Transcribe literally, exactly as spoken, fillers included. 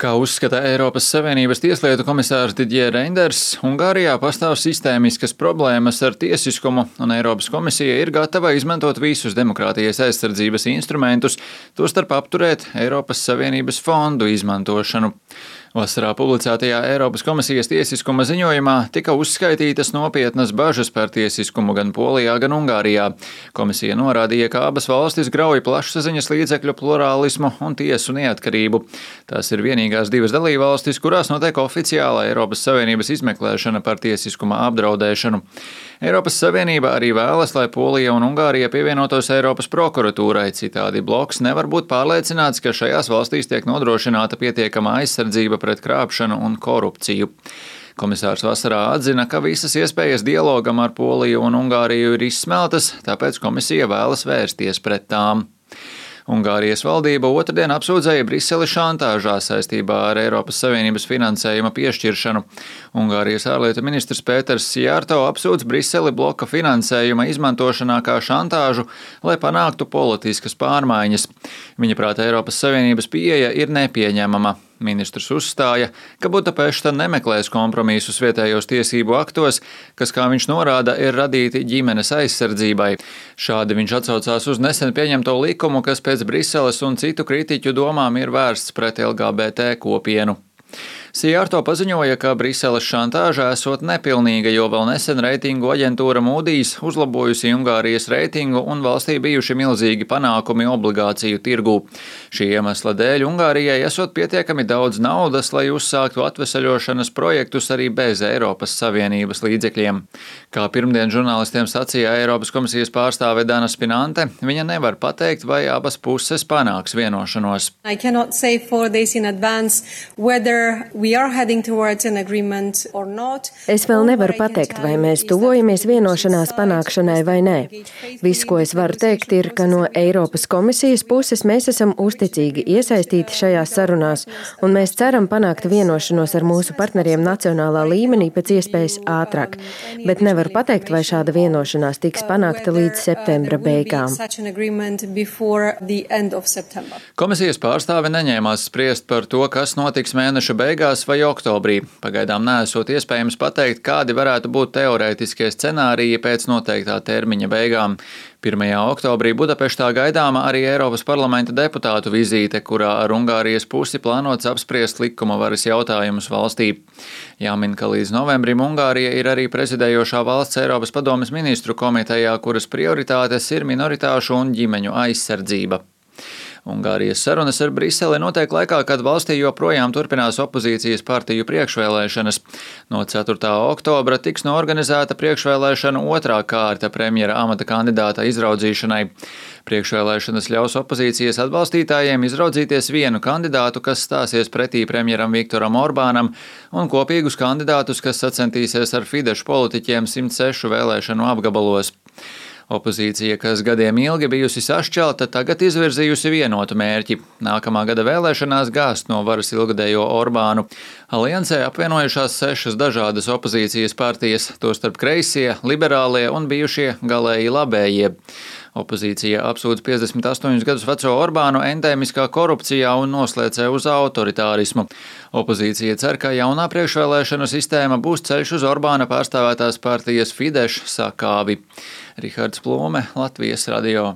Kā uzskata Eiropas Savienības tieslietu komisārs Didier Reinders, Ungārijā pastāv sistēmiskas problēmas ar tiesiskumu, un Eiropas komisija ir gatava izmantot visus demokrātijas aizsardzības instrumentus, tostarp apturēt Eiropas Savienības fondu izmantošanu. Vasarā publicētajā Eiropas komisijas tiesiskuma ziņojumā tika uzskaitītas nopietnas bažas par tiesiskumu gan Polijā, gan Ungārijā. Komisija norādīja, ka abas valstis grauj plašsaziņas līdzekļu plurālismu un tiesu neatkarību. Tās ir vienīgās divas dalībvalstis, kurās notiek oficiāla Eiropas Savienības izmeklēšana par tiesiskuma apdraudēšanu. Eiropas Savienība arī vēlas, lai Polija un Ungārija pievienotos Eiropas prokuratūrai, citādi bloks nevar būt pārliecināts, ka šajās valstīs tiek nodrošināta pietiekama aizsardzība pret krāpšanu un korupciju. Komisārs vasarā atzina, ka visas iespējas dialogam ar Poliju un Ungāriju ir izsmeltas, tāpēc komisija vēlas vērsties pret tām. Ungārijas valdība otrdien apsūdzēja Briseli šantāžā saistībā ar Eiropas Savienības finansējuma piešķiršanu. Ungārijas ārlietu ministrs Pēters Szijjārto apsūdz Briseli bloka finansējuma izmantošanā kā šantāžu, lai panāktu politiskas pārmaiņas. Viņa prāta Eiropas Savienības pieeja ir nepieņemama. Ministrs uzstāja, ka Budapešta nemeklēs kompromisus vietējos tiesību aktos, kas, kā viņš norāda, ir radīti ģimenes aizsardzībai. Šādi viņš atsaucās uz nesen pieņemto likumu, kas pēc Briseles un citu kritiķu domām ir vērsts pret L G B T kopienu. Szijjārto paziņoja, ka Briseles šantāža esot nepilnīga, jo vēl nesen reitingu aģentūra Moody's uzlabojusi Ungārijas reitingu un valstī bijuši milzīgi panākumi obligāciju tirgū. Šī iemesla dēļ Ungārijai esot pietiekami daudz naudas, lai uzsāktu atvesaļošanas projektus arī bez Eiropas Savienības līdzekļiem. Kā pirmdien žurnālistiem sacīja Eiropas komisijas pārstāve Dana Spinante, viņa nevar pateikt, vai abas puses panāks vienošanos. I cannot say four days in advance whether Es vēl nevaru pateikt, vai mēs tuvojamies vienošanās panākšanai vai nē. Viss, ko es varu teikt, ir, ka no Eiropas komisijas puses mēs esam uzticīgi iesaistīti šajās sarunās, un mēs ceram panākt vienošanos ar mūsu partneriem nacionālā līmenī pēc iespējas ātrāk. Bet nevaru pateikt, vai šāda vienošanās tiks panākta līdz septembra beigām. Komisijas pārstāve neņēmās spriest par to, kas notiks mēneša beigās vai oktobrī. Pagaidām neesot iespējams pateikt, kādi varētu būt teorētiskie scenāriji pēc noteiktā termiņa beigām. pirmajā oktobrī Budapeštā gaidāma arī Eiropas parlamenta deputātu vizīte, kurā ar Ungārijas pusi plānots apspriest likuma varas jautājumus valstī. Jāmin, ka līdz novembrim Ungārija ir arī prezidējošā valsts Eiropas padomes ministru komitejā, kuras prioritātes ir minoritāšu un ģimeņu aizsardzība. Ungārijas sarunas ar Briseli notiek laikā, kad valstī joprojām turpinās opozīcijas partiju priekšvēlēšanas. No ceturtā oktobra tiks noorganizēta priekšvēlēšana otrā kārta premjera amata kandidāta izraudzīšanai. Priekšvēlēšanas ļaus opozīcijas atbalstītājiem izraudzīties vienu kandidātu, kas stāsies pretī premjeram Viktoram Orbānam, un kopīgus kandidātus, kas sacentīsies ar Fidešu politiķiem simt sešu vēlēšanu apgabalos. Opozīcija, kas gadiem ilgi bijusi sašķelta, tagad izvirzījusi vienotu mērķi – nākamā gada vēlēšanās gāzt no varas ilgadējo Orbānu. Aliansē apvienojušās sešas dažādas opozīcijas partijas, tostarp kreisie, liberālie un bijušie galēji labējie. Opozīcija apsūdz piecdesmit astoņus gadus veco Orbānu endēmiskā korupcijā un noslēdzē uz autoritārismu. Opozīcija cer, ka jaunā priekšvēlēšanu sistēma būs ceļš uz Orbāna pārstāvētās partijas Fidesz sakāvi. Rihards Plūme, Latvijas radio.